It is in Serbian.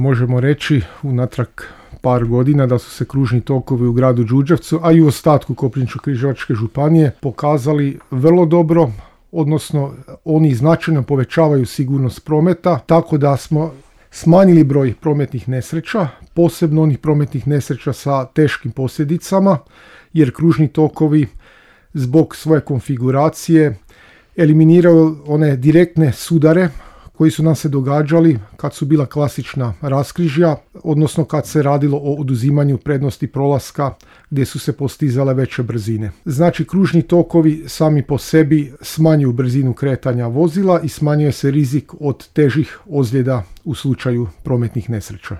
Možemo reći unatrag par godina da su se kružni tokovi u gradu Đurđevcu, a i u ostatku Koprivničko-križevačke županije pokazali vrlo dobro, odnosno oni značajno povećavaju sigurnost prometa, tako da smo smanjili broj prometnih nesreća, posebno onih prometnih nesreća sa teškim posljedicama, jer kružni tokovi zbog svoje konfiguracije eliminiraju one direktne sudare koji su nam se događali kad su bila klasična raskrižja, odnosno kad se radilo o oduzimanju prednosti prolaska gdje su se postizale veće brzine. Znači, kružni tokovi sami po sebi smanjuju brzinu kretanja vozila i smanjuje se rizik od težih ozljeda u slučaju prometnih nesreća.